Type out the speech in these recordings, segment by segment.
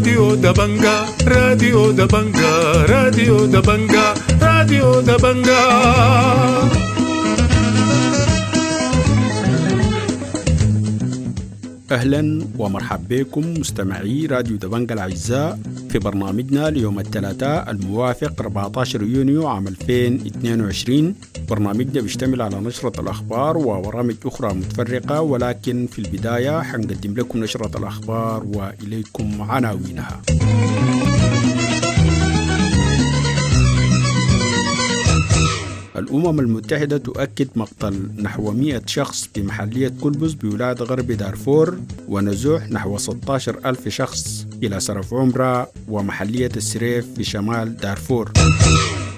راديو دبنجا، راديو دبنجا، راديو دبنجا، راديو دبنجا. أهلا ومرحبا بكم مستمعي راديو دبنجا الأعزاء في برنامجنا ليوم الثلاثاء الموافق 14 يونيو عام 2022. برنامجنا بيشتمل على نشرة الأخبار وبرامج أخرى متفرقة، ولكن في البداية حنقدم لكم نشرة الأخبار وإليكم عناوينها. الأمم المتحدة تؤكد مقتل نحو 100 شخص بمحلية كلبس بولاية غرب دارفور، ونزوح نحو 16 ألف شخص إلى سرف عمرة ومحلية السريف في شمال دارفور.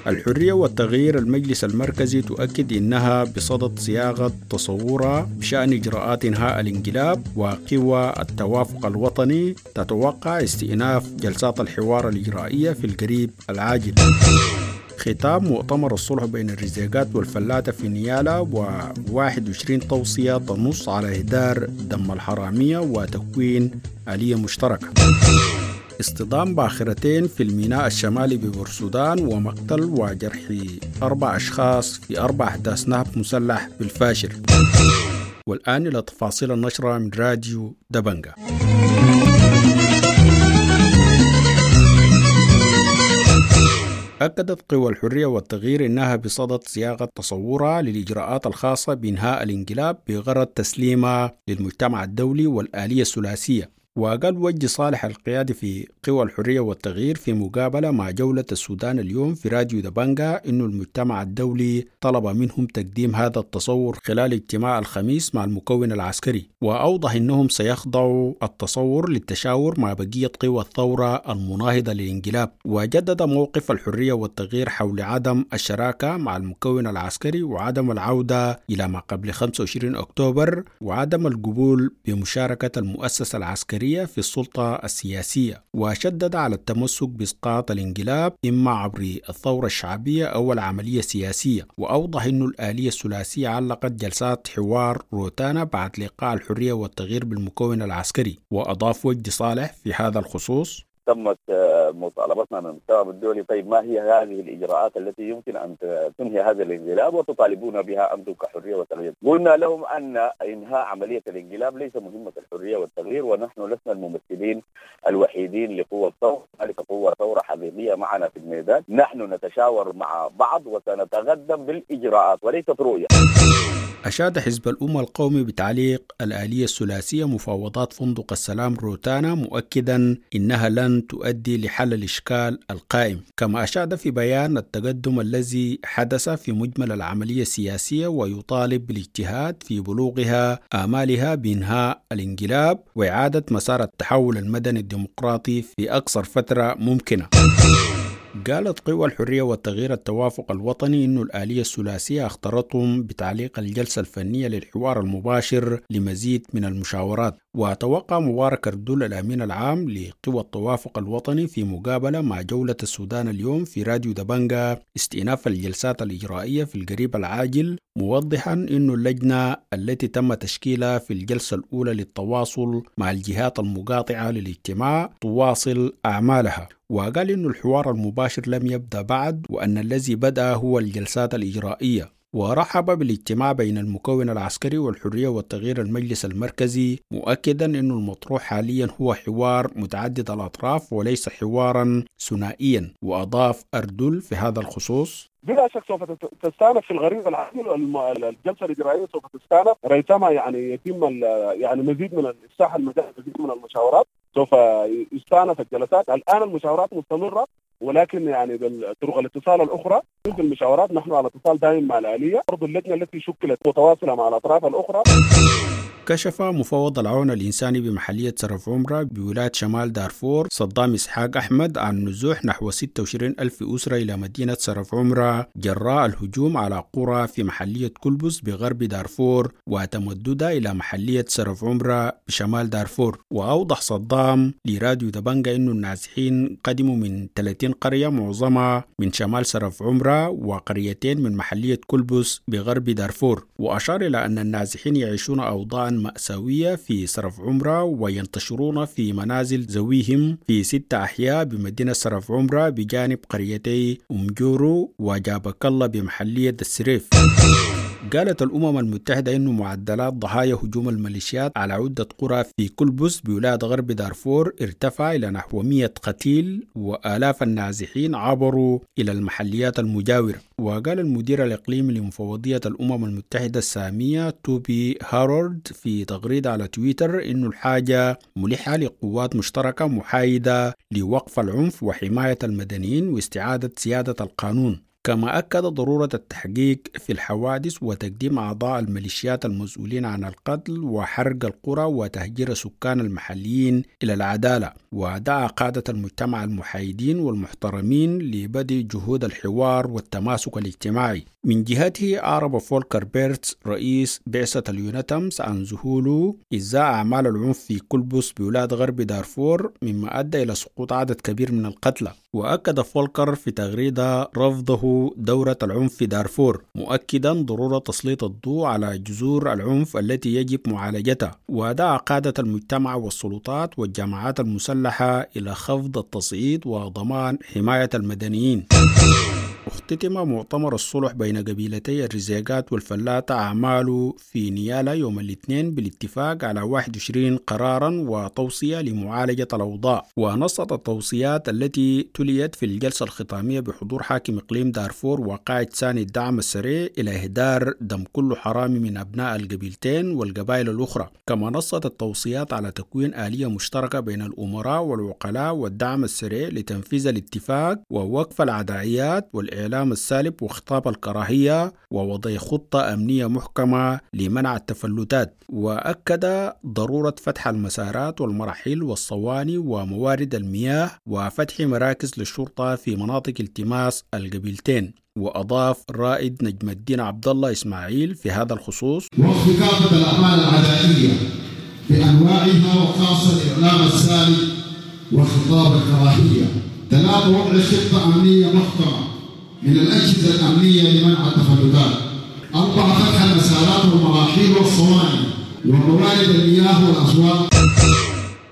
الحرية والتغيير المجلس المركزي تؤكد إنها بصدد صياغة تصورها بشأن إجراءات إنهاء الانقلاب، وقوى التوافق الوطني تتوقع استئناف جلسات الحوار الإجرائية في القريب العاجل. ختام مؤتمر الصلح بين الرزيقات والفلاتة في نيالا، و21 توصية تنص على إهدار دم الحرامية وتكوين آلية مشتركة. اصطدام باخرتين في الميناء الشمالي ببورسودان ومقتل وجرح 4 أشخاص في 4 أحداث نهب مسلح بالفاشر. والآن إلى تفاصيل النشرة من راديو دبنجا. أكدت قوى الحرية والتغيير أنها بصدد صياغة تصورها للإجراءات الخاصة بإنهاء الانقلاب بغرض تسليمها للمجتمع الدولي والآلية الثلاثية. وقال وجدي صالح القيادي في قوى الحرية والتغيير في مقابلة مع جولة السودان اليوم في راديو دبنجا إنه المجتمع الدولي طلب منهم تقديم هذا التصور خلال اجتماع الخميس مع المكون العسكري، وأوضح إنهم سيخضعوا التصور للتشاور مع بقية قوى الثورة المناهضة للانقلاب. وجدد موقف الحرية والتغيير حول عدم الشراكة مع المكون العسكري وعدم العودة إلى ما قبل 25 أكتوبر وعدم القبول بمشاركة المؤسسة العسكرية في السلطة السياسية، وشدد على التمسك بإسقاط الانقلاب إما عبر الثورة الشعبية أو العملية السياسية. وأوضح أن الآلية الثلاثية علقت جلسات حوار روتانا بعد لقاء الحرية والتغيير بالمكون العسكري. وأضاف وجدي صالح في هذا الخصوص: تمت مطالبتنا من المجتمع الدولي، طيب ما هي هذه الإجراءات التي يمكن أن تنهي هذا الانقلاب وتطالبون بها أنتم كحرية وتغيير؟ قلنا لهم أن إنهاء عملية الانقلاب ليس مهمة الحرية والتغيير، ونحن لسنا الممثلين الوحيدين لقوة الثورة، هنالك قوة ثورة حقيقية معنا في الميدان، نحن نتشاور مع بعض وسنتقدم بالإجراءات وليست رؤية. أشاد حزب الأمة القومي بتعليق الآلية الثلاثية مفاوضات فندق السلام روتانا، مؤكدا إنها لن تؤدي لحل الإشكال القائم. كما أشاد في بيان التقدم الذي حدث في مجمل العملية السياسية، ويطالب بالاجتهاد في بلوغها آمالها بإنهاء الانقلاب وإعادة مسار التحول المدني الديمقراطي في أقصر فترة ممكنة. قالت قوى الحرية والتغيير التوافق الوطني إنه الآلية الثلاثية اخترتهم بتعليق الجلسة الفنية للحوار المباشر لمزيد من المشاورات. وتوقع مبارك أردول الأمين العام لقوى التوافق الوطني في مقابلة مع جولة السودان اليوم في راديو دبنجا استئناف الجلسات الإجرائية في القريب العاجل، موضحا أن اللجنة التي تم تشكيلها في الجلسة الأولى للتواصل مع الجهات المقاطعة للاجتماع تواصل أعمالها. وقال أن الحوار المباشر لم يبدأ بعد، وأن الذي بدأ هو الجلسات الإجرائية. ورحب بالاجتماع بين المكون العسكري والحرية والتغيير المجلس المركزي، مؤكدا أن المطروح حاليا هو حوار متعدد الأطراف وليس حوارا ثنائيا. وأضاف أردول في هذا الخصوص: بلا شك سوف تستأنف في الغريب العاجل الجلسة الإجرائية سوف تستأنف ريثما يعني يتم يعني مزيد من الإفساح المجال، مزيد من المشاورات، سوف يستأنف الجلسات. الآن المشاورات مستمرة، ولكن يعني بالطرق الاتصال الأخرى في المشاورات نحن على اتصال دائم مع الآلية، برضو اللجنة التي شكلت متواصلة مع الأطراف الأخرى. كشف مفوض العون الإنساني بمحلية سرف عمرة بولاية شمال دارفور صدام إسحاق أحمد عن نزوح نحو 26 ألف أسرة إلى مدينة سرف عمرة جراء الهجوم على قرى في محلية كلبس بغرب دارفور وتمددها إلى محلية سرف عمرة بشمال دارفور. وأوضح صدام لراديو دبنجا أن النازحين قدموا من 30 قرية معظمها من شمال سرف عمرة وقريتين من محلية كلبس بغرب دارفور. وأشار إلى أن النازحين يعيشون أوضاعا مأساوية في سرف عمرة، وينتشرون في منازل ذويهم في 6 أحياء بمدينة سرف عمرة بجانب قريتي أم جورو وجابك الله بمحلية السريف. قالت الأمم المتحدة أن معدلات ضحايا هجوم الميليشيات على عدة قرى في كلبس بولاية غرب دارفور ارتفع إلى نحو 100 قتيل، وآلاف النازحين عبروا إلى المحليات المجاورة. وقال المدير الإقليمي لمفوضية الأمم المتحدة السامية توبي هارولد في تغريدة على تويتر إنه الحاجة ملحة لقوات مشتركة محايدة لوقف العنف وحماية المدنيين واستعادة سيادة القانون. كما أكد ضرورة التحقيق في الحوادث وتقديم أعضاء الميليشيات المسؤولين عن القتل وحرق القرى وتهجير السكان المحليين إلى العدالة. ودعا قادة المجتمع المحايدين والمحترمين لبدء جهود الحوار والتماسك الاجتماعي. من جهته أعرب فولكر بيرتس رئيس بعثة اليونتامس عن ذهوله إزاء أعمال العنف في كلبس بولاية غرب دارفور، مما أدى إلى سقوط عدد كبير من القتلى. وأكد فولكر في تغريدة رفضه دورة العنف في دارفور، مؤكدا ضرورة تسليط الضوء على جذور العنف التي يجب معالجتها. ودعا قادة المجتمع والسلطات والجماعات المسلحة إلى خفض التصعيد وضمان حماية المدنيين. اختتم مؤتمر الصلح بين قبيلتي الرزيقات والفلاتة أعماله في نيالا يوم الاثنين بالاتفاق على 21 قرارا وتوصية لمعالجة الأوضاع. ونصت التوصيات التي تليت في الجلسة الختامية بحضور حاكم إقليم دارفور وقائد ثاني الدعم السريع إلى إهدار دم كل حرامي من أبناء القبيلتين والقبائل الأخرى. كما نصت التوصيات على تكوين آلية مشتركة بين الأمراء والوكلاء والدعم السريع لتنفيذ الاتفاق ووقف العدائيات والإعلام السالب وخطاب الكراهية ووضع خطة أمنية محكمة لمنع التفلتات. وأكد ضرورة فتح المسارات والمراحل والصواني وموارد المياه وفتح مراكز للشرطة في مناطق التماس القبيلتين. وأضاف رائد نجم الدين عبد الله إسماعيل في هذا الخصوص: وقف كافة الأعمال العدائية بأنواعها وخاصة الإعلام السالب وخطاب الكراهية. 3 وضع خطة أمنية محكمة من الأجهزة الأمنية لمنع التفلتات. 4 فتح المسارات والمراحيل والصواني وموارد المياه والأسواق.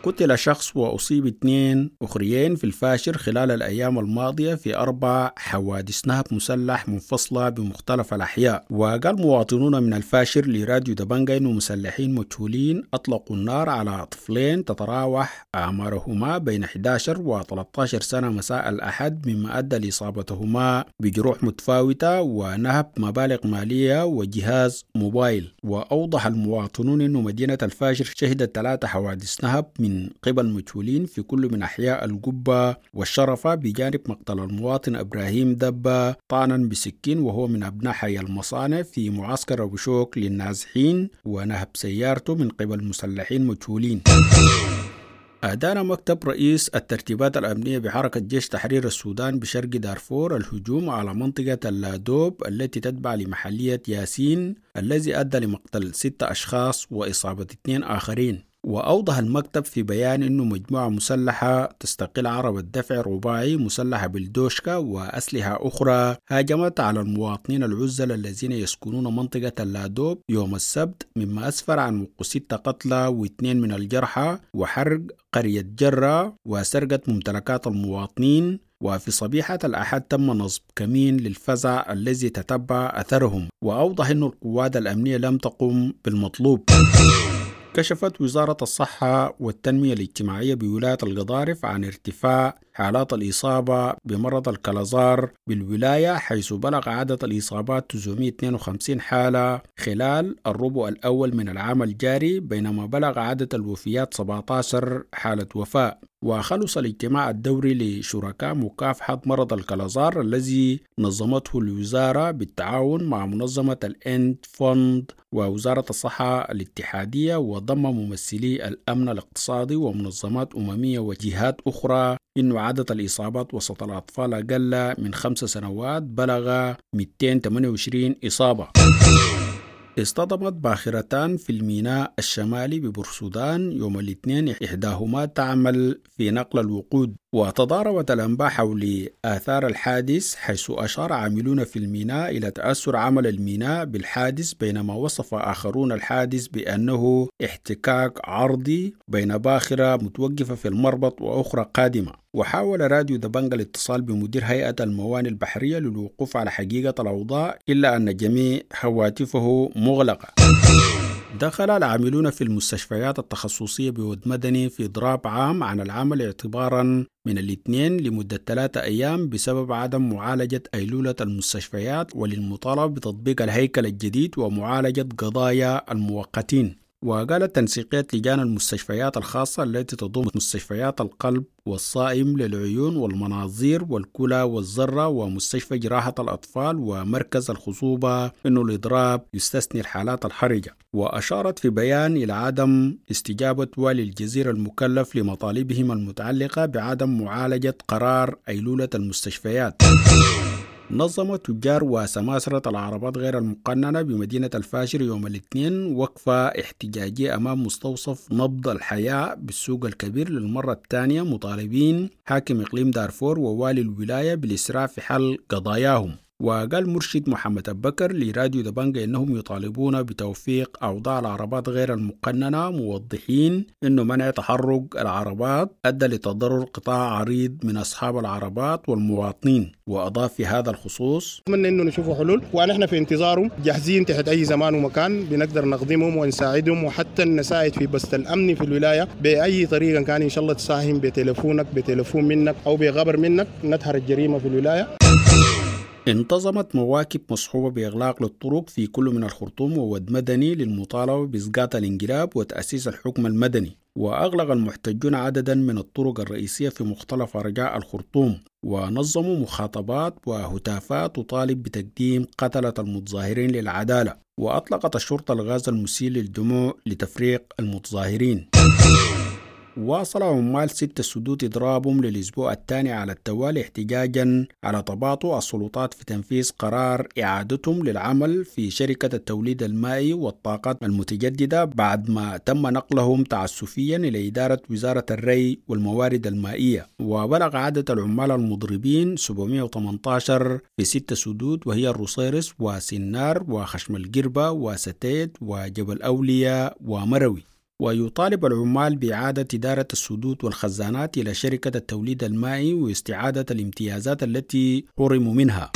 قتل شخص وأصيب 2 أخريين في الفاشر خلال الأيام الماضية في 4 حوادث نهب مسلح منفصلة بمختلف الأحياء. وقال مواطنون من الفاشر لراديو دبنجا إنه مسلحين مجهولين أطلقوا النار على طفلين تتراوح أعمارهما بين 11 و 13 سنة مساء الأحد، مما أدى لإصابتهما بجروح متفاوتة ونهب مبالغ مالية وجهاز موبايل. وأوضح المواطنون أن مدينة الفاشر شهدت 3 حوادث نهب من قبل مجهولين في كل من أحياء القبة والشرفة، بجانب مقتل المواطن إبراهيم دبة طعنا بسكين وهو من أبناء حي المصانع في معسكر أبو شوك للنازحين، ونهب سيارته من قبل مسلحين مجهولين. أدان مكتب رئيس الترتيبات الأمنية بحركة جيش تحرير السودان بشرق دارفور الهجوم على منطقة اللادوب التي تتبع لمحلية ياسين الذي أدى لمقتل 6 أشخاص وإصابة 2 آخرين. وأوضح المكتب في بيان أنه مجموعة مسلحة تستقل عربة دفع رباعي مسلحة بالدوشكا وأسلحة أخرى هاجمت على المواطنين العزل الذين يسكنون منطقة اللادوب يوم السبت، مما أسفر عن وقوع 6 قتلى و2 من الجرحى وحرق قرية جرة وسرقة ممتلكات المواطنين. وفي صبيحة الأحد تم نصب كمين للفزع الذي تتبع أثرهم. وأوضح أن القوات الأمنية لم تقم بالمطلوب. كشفت وزارة الصحة والتنمية الاجتماعية بولاية القضارف عن ارتفاع حالات الإصابة بمرض الكلازار بالولاية، حيث بلغ عدد الإصابات 952 حالة خلال الربع الأول من العام الجاري، بينما بلغ عدد الوفيات 17 حالة وفاة. وخلص الاجتماع الدوري لشركاء مكافحة مرض الكلازار الذي نظمته الوزارة بالتعاون مع منظمة الإند فوند ووزارة الصحة الاتحادية، وضم ممثلي الأمن الاقتصادي ومنظمات أممية وجهات أخرى، إنه عدد الإصابات وسط الأطفال أقل من 5 سنوات بلغ 228 إصابة. اصطدمت باخرتان في الميناء الشمالي ببورسودان يوم الاثنين، إحداهما تعمل في نقل الوقود وتضاربت الأنباء حول آثار الحادث، حيث أشار عاملون في الميناء إلى تأثر عمل الميناء بالحادث، بينما وصف آخرون الحادث بأنه احتكاك عرضي بين باخرة متوقفة في المربط وأخرى قادمة. وحاول راديو دبنجا الاتصال بمدير هيئة الموانئ البحرية للوقوف على حقيقة الأوضاع، إلا أن جميع هواتفه مغلقة. دخل العاملون في المستشفيات التخصصية بود مدني في إضراب عام عن العمل اعتبارا من الاثنين لمدة 3 أيام بسبب عدم معالجة أيلولة المستشفيات وللمطالبة بتطبيق الهيكل الجديد ومعالجة قضايا المؤقتين. وقالت تنسيقية لجان المستشفيات الخاصة التي تضم مستشفيات القلب والصائم للعيون والمناظير والكلى والذرة ومستشفى جراحة الأطفال ومركز الخصوبة أنه الإضراب يستثني الحالات الحرجة. وأشارت في بيان إلى عدم استجابة والي الجزيرة المكلف لمطالبهم المتعلقة بعدم معالجة قرار أيلولة المستشفيات. نظم تجار وسماسرة العربات غير المقننة بمدينة الفاشر يوم الاثنين وقفة احتجاجية أمام مستوصف نبض الحياة بالسوق الكبير للمرة الثانية، مطالبين حاكم إقليم دارفور ووالي الولاية بالإسراع في حل قضاياهم. وقال مرشد محمد أبو بكر لراديو دبنجا إنهم يطالبون بتوفيق أوضاع العربات غير المقننة، موضحين إنه منع تحرك العربات أدى لتضرر قطاع عريض من أصحاب العربات والمواطنين. وأضاف في هذا الخصوص: أتمنى إنه نشوفوا حلول، ونحن في انتظارهم جاهزين تحت أي زمان ومكان، بنقدر نخدمهم ونساعدهم، وحتى نساعد في بسط الأمن في الولاية بأي طريقة كان إن شاء الله. تساهم بتلفونك، بتلفون منك أو بغبر منك، نتهر الجريمة في الولاية. انتظمت مواكب مصحوبة بإغلاق للطرق في كل من الخرطوم وود مدني للمطالبة بإسقاط الانقلاب وتأسيس الحكم المدني. وأغلق المحتجون عددا من الطرق الرئيسية في مختلف أرجاء الخرطوم، ونظموا مخاطبات وهتافات تطالب بتقديم قتلة المتظاهرين للعدالة. وأطلقت الشرطة الغاز المسيل للدموع لتفريق المتظاهرين. واصل عمال 6 سدود إضرابهم للأسبوع الثاني على التوالي احتجاجا على تباطؤ السلطات في تنفيذ قرار إعادتهم للعمل في شركة التوليد المائي والطاقات المتجددة بعد ما تم نقلهم تعسفيا إلى إدارة وزارة الري والموارد المائية. وبلغ عدد العمال المضربين 718 في 6 سدود، وهي الرصيرس وسنار وخشم القربة وستيت وجبل أولياء ومروي. ويطالب العمال بإعادة إدارة السدود والخزانات إلى شركة التوليد المائي واستعادة الامتيازات التي حرموا منها.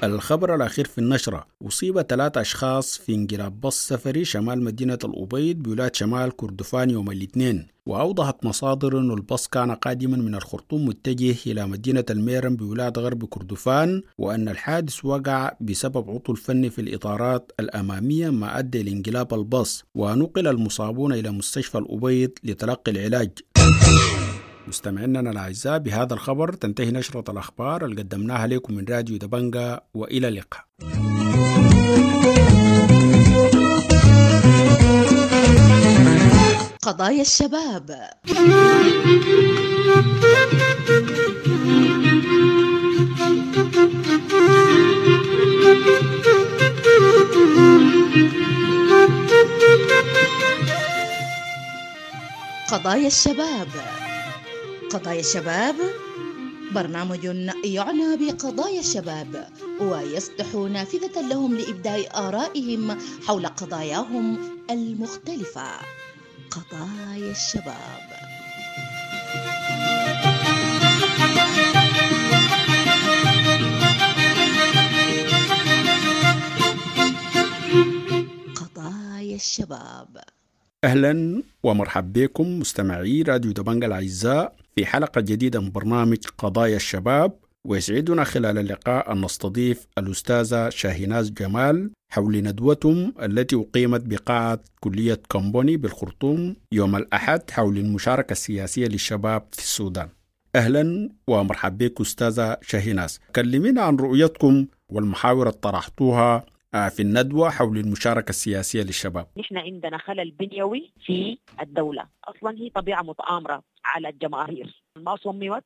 الخبر الأخير في النشرة: أصيب 3 أشخاص في انقلاب باص سفري شمال مدينة الأبيض بولاية شمال كردفان يوم الاثنين. وأوضحت مصادر أن الباص كان قادما من الخرطوم متجه إلى مدينة الميرم بولاية غرب كردفان، وأن الحادث وقع بسبب عطل فني في الإطارات الأمامية ما أدى لانقلاب الباص. ونقل المصابون إلى مستشفى الأبيض لتلقي العلاج. مستمعينا الأعزاء، بهذا الخبر تنتهي نشرة الأخبار اللي قدمناها لكم من راديو دبنجا، وإلى اللقاء. قضايا الشباب. قضايا الشباب. قضايا الشباب برنامج يعنى بقضايا الشباب ويفتح نافذة لهم لإبداء آرائهم حول قضاياهم المختلفة. قضايا الشباب. قضايا الشباب. أهلا ومرحبا بكم مستمعي راديو دبنجا الأعزاء في حلقة جديدة من برنامج قضايا الشباب، ويسعدنا خلال اللقاء أن نستضيف الأستاذة شاهيناز جمال حول ندوتهم التي أقيمت بقاعة كلية كومبوني بالخرطوم يوم الأحد حول المشاركة السياسية للشباب في السودان. أهلا ومرحبا بك أستاذة شاهيناز، كلمينا عن رؤيتكم والمحاور اللي طرحتوها في الندوة حول المشاركة السياسية للشباب. نحن عندنا خلل بنيوي في الدولة، أصلا هي طبيعة متآمرة على الجماهير، ما صممت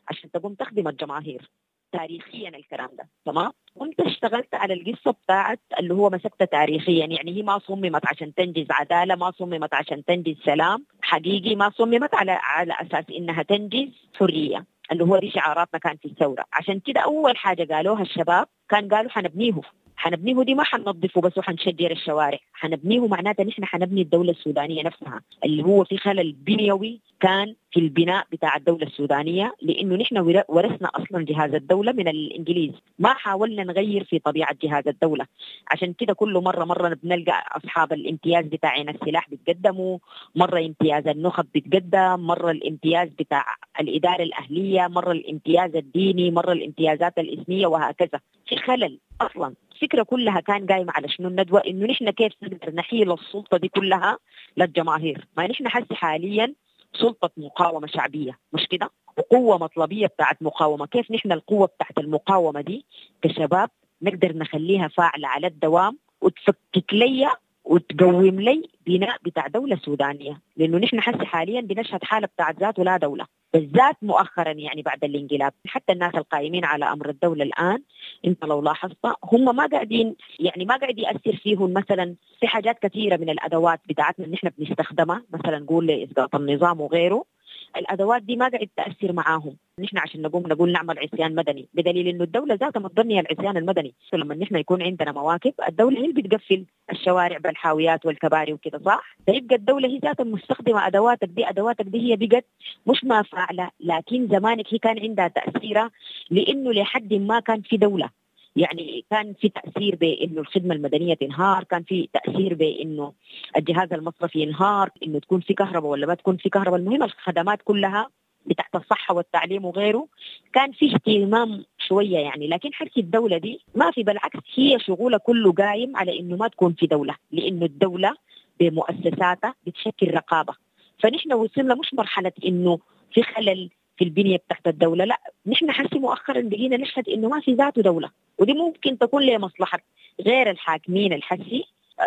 عشان تقوم تخدم الجماهير تاريخيا الكلام ده، تمام؟ وانت اشتغلت على القصة بتاعت اللي هو مسكتها تاريخيا، يعني هي ما صممت عشان تنجز عدالة، ما صممت عشان تنجز سلام. حقيقي ما صممت على أساس إنها تنجز حرية اللي هو دي شعاراتنا كان في الثورة. عشان كده أول حاجة قالوها الشباب كان قالوا حنبنيه دي ما حننظفه بس وحنشجر الشوارع، حنبنيه معناته نحن حنبني الدولة السودانية نفسها، اللي هو في خلل بنيوي كان في البناء بتاع الدولة السودانية، لأنه نحن ورثنا أصلا جهاز الدولة من الإنجليز، ما حاولنا نغير في طبيعة جهاز الدولة. عشان كده كل مرة بنلقى أصحاب الامتياز بتاعين السلاح بيتقدموا، مرة امتياز النخب بيتقدم، مرة الامتياز بتاع الإدارة الأهلية، مرة الامتياز الديني، مرة الامتيازات الإثنية، وهكذا. في خلل أصلا. الفكرة كلها كان قايمة على شنو الندوة؟ إنه نحن كيف نقدر نحيل السلطة دي كلها للجماهير. ما نحن حس حاليا سلطة مقاومة شعبية، مش كده؟ وقوة مطلبية بتاعت مقاومة. كيف نحن القوة بتاعت المقاومة دي كشباب نقدر نخليها فاعلة على الدوام وتفكك لي وتقوم لي بناء بتاع دولة سودانية؟ لأنه نحن حس حاليا بنشهد حالة بتاعت ذات ولا دولة، بالذات مؤخرا يعني بعد الانقلاب. حتى الناس القائمين على أمر الدولة الآن أنت لو لاحظت هم ما قاعدين، يعني ما قاعد يأثر فيهم مثلا في حاجات كثيرة من الأدوات بتاعتنا اللي نحن بنستخدمها، مثلا نقول لإسقاط النظام وغيره، الأدوات دي ما قاعد تأثر معاهم. نحن عشان نقوم نقول نعمل عصيان مدني، بدليل إنه الدولة ذاتها متبنية العصيان المدني. لما نحن يكون عندنا مواكب الدولة هي اللي بتقفل الشوارع بالحاويات والكباري وكده، صح؟ فيبقى الدولة هي ذاتها مستخدمة أدواتك دي. أدواتك دي هي بقت مش ما فاعلة، لكن زمانك هي كان عندها تأثيرها، لأنه لحد ما كان في دولة. يعني كان في تأثير بأنه الخدمة المدنية تنهار، كان في تأثير بأنه الجهاز المصرفي ينهار، أنه تكون في كهرباء ولا ما تكون في كهرباء. المهم الخدمات كلها بتاعت الصحة والتعليم وغيره كان في اهتمام شوية يعني. لكن حركة الدولة دي ما في، بالعكس هي شغولة كله قايم على أنه ما تكون في دولة، لأنه الدولة بمؤسساتها بتشكل رقابة. فنحن وصلنا مش مرحلة أنه في خلل في البنية بتاعت الدولة، لا، نحن حسي مؤخرا بقينا نشهد إنه ما في ذاته دولة، ودي ممكن تكون لمصلحة غير الحاكمين الحسي،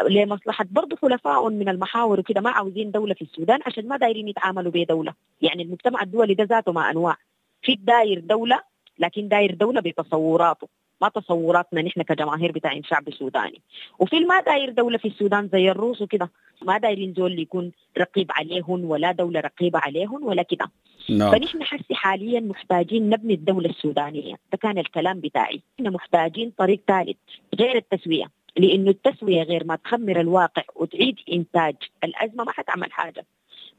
لمصلحة برضه حلفاء من المحاور وكده، ما عاوزين دولة في السودان عشان ما دايرين يتعاملوا بدولة. يعني المجتمع الدولي ده ذاته ما أنواع، في داير دولة لكن داير دولة بتصوراته، ما تصوراتنا نحن كجماهير بتاعين شعب سوداني. وفي ما داير دولة في السودان زي الروس وكده، ما دايرين زول يكون رقيب عليهم ولا دولة رقيبة عليهم ولا كده. نعم. فنحن حسي حاليا محتاجين نبني الدولة السودانية، ده كان الكلام بتاعي. نحن محتاجين طريق ثالث غير التسوية، لأنه التسوية غير ما تخمر الواقع وتعيد إنتاج الأزمة ما حتعمل حاجة.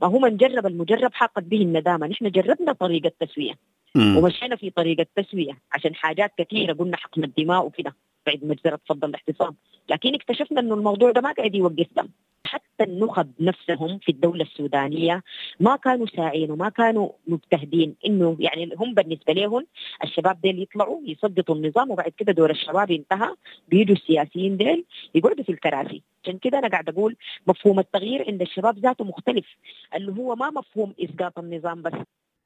ما هو من جرب المجرب حاقت به الندامة. نحن جربنا طريقة التسوية ومشينا في طريقة التسوية عشان حاجات كثيرة، قلنا حقن الدماء وكده بعد مجزرة فض الاحتصام، لكن اكتشفنا انه الموضوع ده ما قاعد يوقف دم. حتى النخب نفسهم في الدولة السودانية ما كانوا ساعين وما كانوا مجتهدين، انه يعني هم بالنسبة لهم الشباب ديل يطلعوا يسقطوا النظام وبعد كده دور الشباب انتهى، بيجوا السياسيين ديل يقعدوا في الكراسي. عشان كده انا قاعد اقول مفهوم التغيير عند الشباب ذاته مختلف، اللي هو ما مفهوم اسقاط النظام بس.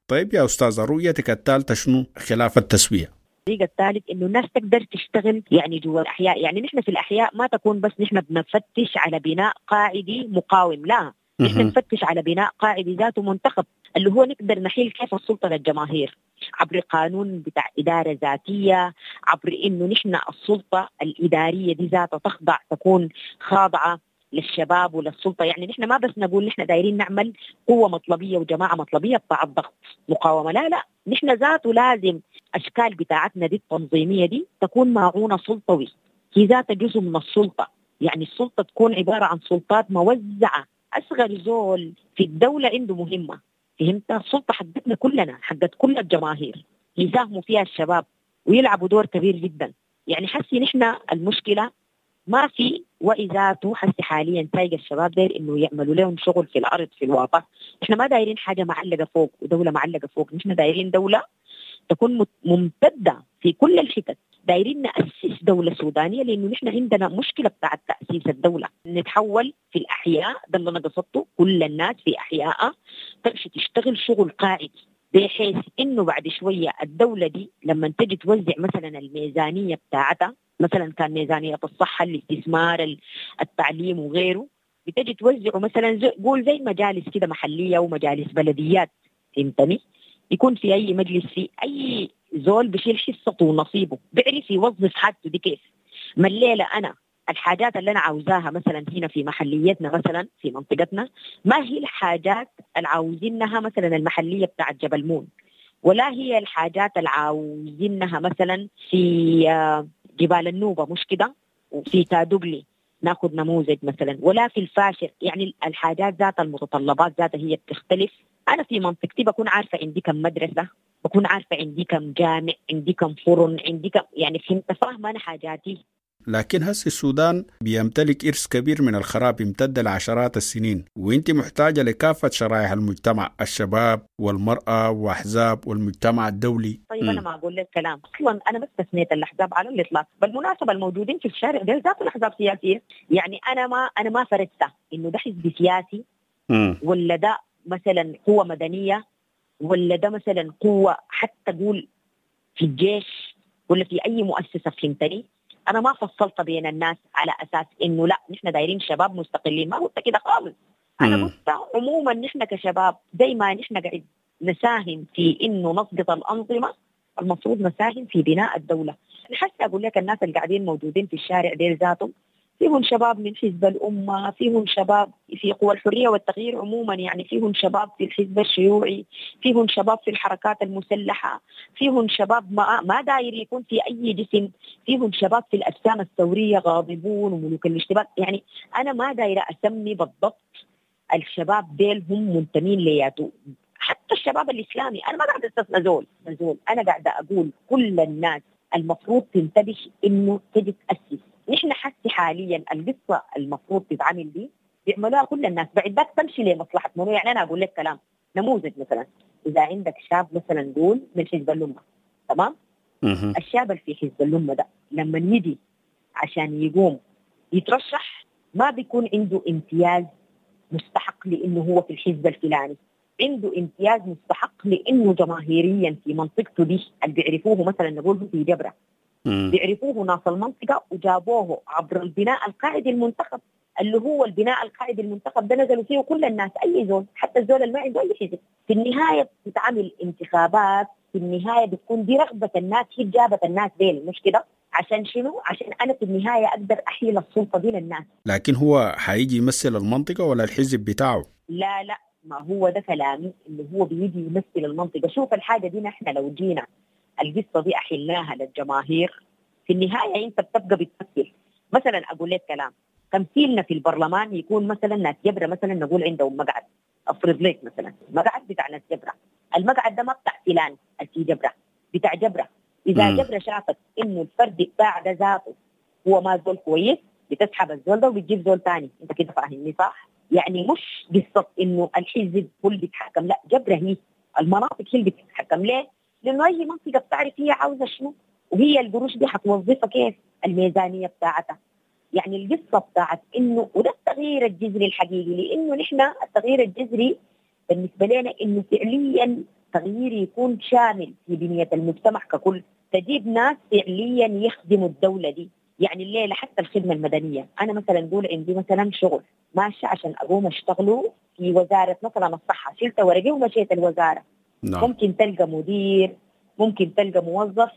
طيب يا أستاذة، رؤيتك الثالثة شنو خلاف التسوية؟ الطريقة الثالث إنه الناس تقدر تشتغل يعني جوا الأحياء. يعني نحن في الأحياء ما تكون بس نحن بنفتش على بناء قاعدي مقاوم، لا، نحن نفتش على بناء قاعدي ذاته منتخب، اللي هو نقدر نحيل كيف السلطة للجماهير عبر قانون بتاع إدارة ذاتية، عبر إنه نحن السلطة الإدارية دي ذاتها تخضع، تكون خاضعة للشباب وللسلطة. يعني نحن ما بس نقول نحن دايرين نعمل قوة مطلبية وجماعة مطلبية بتاع الضغط مقاومة، لا لا، نحن ذاته لازم أشكال بتاعتنا دي التنظيمية دي تكون معونة سلطوي، هي ذاتها جزء من السلطة. يعني السلطة تكون عبارة عن سلطات موزعة، أصغر زول في الدولة عنده مهمة، فهمت؟ السلطة حقتنا كلنا، حقت كل الجماهير، يساهموا فيها الشباب ويلعبوا دور كبير جدا. يعني حسي نحن المشكلة ما في وعي ذاته حسي حاليا سايق الشباب داير انه يعملوا لهم شغل في الارض في الواقع. احنا ما دايرين حاجه معلقه فوق ودوله معلقه فوق، نحن دايرين دوله تكون ممتده في كل الحتت. دايرين نأسس دولة سودانية، لأنه نحن عندنا مشكلة بتاعت تأسيس الدولة. نتحول في الأحياء، ده اللي أنا قصدته، كل الناس في أحياء تمشي تشتغل شغل قاعدي، بحيث إنه بعد شوية الدولة دي لما تجي توزع مثلا الميزانية بتاعتها، مثلا كان ميزانية الصحة، الاستثمار، التعليم وغيره، بتجي توزعه مثلا قول زي مجالس كده محلية ومجالس بلديات، فهمتني؟ يكون في أي مجلس في أي زول بشيل حصته ونصيبه، بيعرف يوظف حاجته دي كيف. ما الليلة أنا الحاجات اللي انا عاوزاها مثلا هنا في محليتنا مثلا في منطقتنا ما هي الحاجات اللي عاوزينها مثلا المحلية بتاعت جبل مون، ولا هي الحاجات اللي عاوزينها مثلا في جبال النوبة، مش كده، وفي كادوغلي ناخذ نموذج مثلا، ولا في الفاشر. يعني الحاجات ذات المتطلبات ذاتها هي بتختلف. انا في منطقتي بكون عارفه عندي كم مدرسه، بكون عارفه عندي كم جامع، عندي كم فرن، عندي كم، يعني فهمت، فاهمه انا حاجاتي. لكن هسه السودان بيمتلك إرث كبير من الخراب امتد لعشرات السنين، وانت محتاجة لكافة شرائح المجتمع، الشباب والمرأة وأحزاب والمجتمع الدولي. طيب أنا ما أقول لك كلام، أصلا أنا ما استثنيت الأحزاب على الإطلاق. بالمناسبة الموجودين في الشارع ديل ذات الأحزاب سياسية، يعني أنا ما فرزت إنه ده حزب سياسي ولا ده مثلا قوة مدنية ولا ده مثلا قوة حتى قول في الجيش ولا في أي مؤسسة، فهمتني؟ أنا ما فصلت بين الناس على أساس إنه لا نحن دايرين شباب مستقلين، ما قلت كده خالص. أنا قلت عموما نحن كشباب زي ما نحن قاعد نساهم في إنه نسقط الأنظمة، المفروض نساهم في بناء الدولة. حتى أقول لك الناس اللي قاعدين موجودين في الشارع ديل ذاتهم فيهم شباب من حزب الأمة، فيهم شباب في قوى الحرية والتغيير عموما، يعني فيهم شباب في الحزب الشيوعي، فيهم شباب في الحركات المسلحة، فيهم شباب ما داير يكون في أي جسم، فيهم شباب في الأجسام الثورية غاضبون وملوك الاشتباك. يعني أنا ما دايرة أسمي بالضبط الشباب ديل هم منتمين لياتو، حتى الشباب الإسلامي أنا ما قاعدة أستثنى زول، أنا قاعدة أقول كل الناس المفروض تنتبه إنه تجي تأسس. نحن حسي حاليا القصة المفروض تتعامل دي بيعملوها كل الناس، بعد ذاك تمشي لمصلحة منو. يعني أنا أقول لك كلام نموذج مثلا، إذا عندك شاب مثلا قول من حزب الأمة، تمام؟ الشاب اللي في حزب الأمة ده لما يجي عشان يقوم يترشح ما بيكون عنده امتياز مستحق لأنه هو في الحزب الفلاني، عنده امتياز مستحق لأنه جماهيريا في منطقته دي اللي بيعرفوه، مثلا نقول في جبرة بيعرفوه ناس المنطقة وجابوه عبر البناء القاعدي المنتخب، اللي هو البناء القاعدي المنتخب ده نزلوا فيه كل الناس، أي زول حتى الزول اللي ما عنده أي حزب. في النهاية بتتعمل انتخابات، في النهاية بتكون دي رغبة الناس، هي جابت الناس ديل، مش كده؟ عشان شنو؟ عشان أنا في النهاية أقدر أحيل السلطة دي للناس. لكن هو حيجي يمثل المنطقة ولا الحزب بتاعه؟ لا لا، ما هو ده كلامي، اللي هو بيجي يمثل المنطقة. شوف الحاجة دي نحن لو جينا القصة دي أحلناها للجماهير، في النهاية أنت بتبقى بتمثل. مثلا أقول لك كلام، تمثيلنا في البرلمان يكون مثلا ناس جبرة، مثلا نقول عندهم مقعد، أفرض لك مثلا مقعد بتاع ناس جبرة، المقعد ده ما بتاع فلان في جبرة، بتاع جبرة. إذا جبرة شافت إنه الفرد بتاع ده ذاته هو ما زول كويس، بتسحب الزول ده وبتجيب زول تاني. أنت كده فاهمني صح؟ يعني مش قصة إنه الحزب هو اللي بيتحكم، لا، جبرة هي المناطق هي اللي بتتحكم. ليه؟ لأنه أي منطقة بتعرف هي عاوزة شنو، وهي القروش دي حتوظفها كيف، الميزانية بتاعتها. يعني القصة بتاعت إنه، وده التغيير الجذري الحقيقي، لأنه نحن التغيير الجذري بالنسبة لنا إنه فعليا تغيير يكون شامل في بنية المجتمع ككل، تجيب ناس فعليا يخدموا الدولة دي. يعني الليلة حتى الخدمة المدنية، أنا مثلا أقول عندي مثلا شغل ماشي عشان أقوم أشتغله في وزارة مثلا الصحة، شلت ورقي ومشيت الوزارة. نعم. ممكن تلقى مدير، ممكن تلقى موظف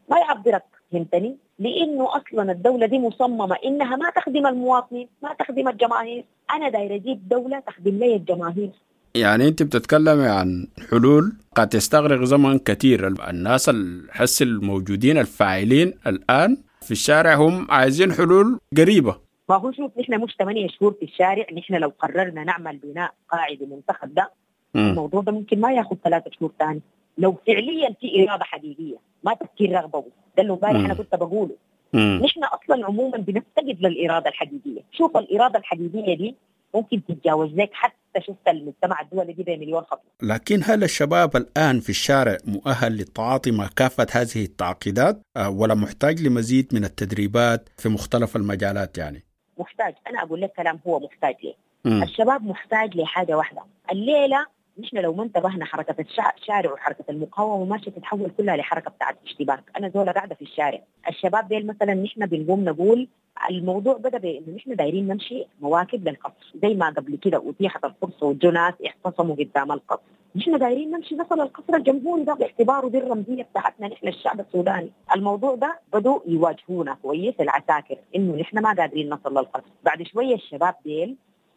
ما يعبرك، فهمتني؟ لأنه أصلا الدولة دي مصممة إنها ما تخدم المواطنين، ما تخدم الجماهير. أنا داير أجيب دولة تخدم لي الجماهير. يعني أنت بتتكلمي عن حلول قد تستغرق زمن كثير. الناس الحس الموجودين الفاعلين الآن في الشارع هم عايزين حلول قريبة. ما هو شوف، نحن مش 8 شهور في الشارع. نحن لو قررنا نعمل بناء قاعدي منتخب ده، الموضوع ده ممكن ما ياخذ 3 شهور ثاني لو فعليا في إرادة حقيقية، ما تفكير رغبوي. ده اللي امبارح أنا كنت بقوله. نحن أصلا عموما بنفتقد للإرادة الحقيقية. شوف الإرادة الحقيقية دي ممكن تتجاوز لك حتى شفت المجتمع الدولي دي بمليون خطوة. لكن هل الشباب الآن في الشارع مؤهل للتعاطي مع كافة هذه التعقيدات ولا محتاج لمزيد من التدريبات في مختلف المجالات؟ يعني محتاج. أنا أقول لك كلام، هو محتاج ليه. الشباب محتاج لحاجة واحدة. الليلة نحن لو ما انتبهنا حركة الشارع وحركه المقاومة ماشية تتحول كلها لحركة بتاعت اشتباك. انا زوله قاعدة في الشارع، الشباب ديل مثلا نحن بنقوم نقول الموضوع بدا بانه نحن دايرين نمشي مواكب للقصر، زي ما قبل كده اتيحت الفرصة وجو ناس اعتصموا قدام القصر، نحن دايرين نمشي نصل القصر الجمهوري ده باعتباره دي الرمزية بتاعتنا نحن الشعب السوداني. الموضوع ده بدوا يواجهونا كويس العساكر انه نحن ما قادرين نصل للقصر. بعد شوية الشباب ديل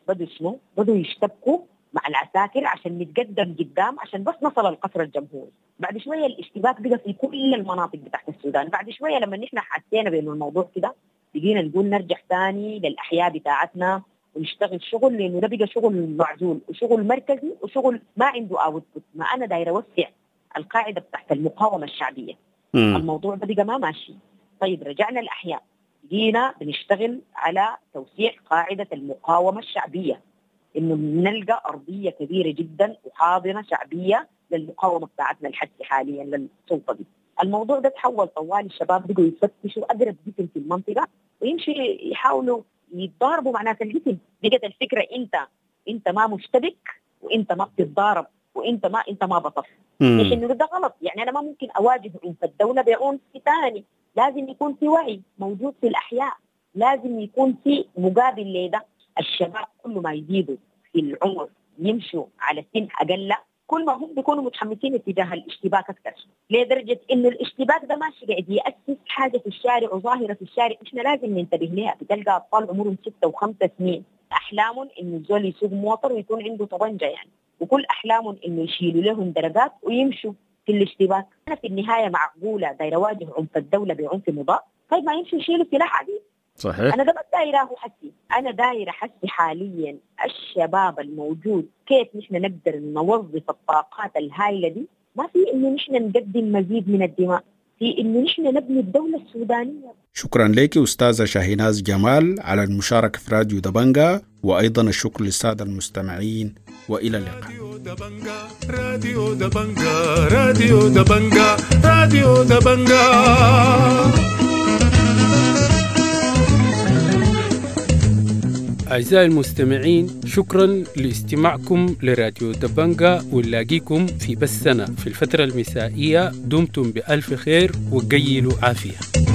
بدوا شنو؟ بدوا يشتبكوا مع العساكر عشان نتقدم قدام عشان بس نصل القصر الجمهوري. بعد شوية الاشتباك بقى في كل المناطق بتاعت السودان. بعد شوية لما نحن حسينا بانه الموضوع كده بقينا نقول نرجع ثاني للاحياء بتاعتنا ونشتغل شغل، لانه ده بقى شغل معزول وشغل مركزي وشغل ما عنده output. ما انا دايرة اوسع القاعدة بتاعت المقاومة الشعبية. الموضوع ده بقى ما ماشي. طيب رجعنا الاحياء، جينا بنشتغل على توسيع قاعدة المقاومة الشعبية، انه نلقى ارضية كبيرة جدا وحاضنه شعبية للمقاومة بتاعتنا الحد حاليا للسلطة دي. الموضوع ده تحول طوال، الشباب بقوا يفتشوا اقرب جسم في المنطقة ويمشي يحاولوا يتضاربوا مع ناس الجسم. بقت الفكرة انت ما مشتبك وانت ما بتتضارب وانت ما انت ما بطل. انه ده غلط، يعني انا ما ممكن اواجه عنف الدولة بعنف ثاني، لازم يكون في وعي موجود في الاحياء، لازم يكون في مقابل لده. الشباب كل ما يزيدوا في العمر يمشوا على سن اقل، كل ما هم بيكونوا متحمسين اتجاه الاشتباك اكثر، لدرجة انه الاشتباك ده ماشي قاعد ياسس حاجة في الشارع وظاهره في الشارع احنا لازم ننتبه لها. بتلقى اطفال عمرهم 6 و5 سنين احلامهم انه الزول يسوق موتر ويكون عنده طبنجه يعني، وكل احلامهم انه يشيلوا لهم درجات ويمشوا في الاشتباك. انا في النهاية معقولة دايرة اواجه عنف الدولة بعنف مضاد؟ طيب ما يمشوا يشيلوا سلاح عديد. صحيح. أنا ده ما دايرة حسي، أنا دايرة حسي حاليا الشباب الموجود كيف نحن نقدر نوظف الطاقات الهائلة دي. ما في إنه نحن نقدم مزيد من الدماء، في إنه نحن نبني الدولة السودانية. شكرا لك أستاذة شاهيناز جمال على المشاركة في راديو دبنجا، وأيضا الشكر للسادة المستمعين، وإلى اللقاء. راديو دبنجا، راديو دبنجا، راديو دبنجا. أعزائي المستمعين، شكرا لاستماعكم لراديو دبنجا، ونلاقيكم في بثنا في الفترة المسائية. دمتم بألف خير وقيلوا عافية.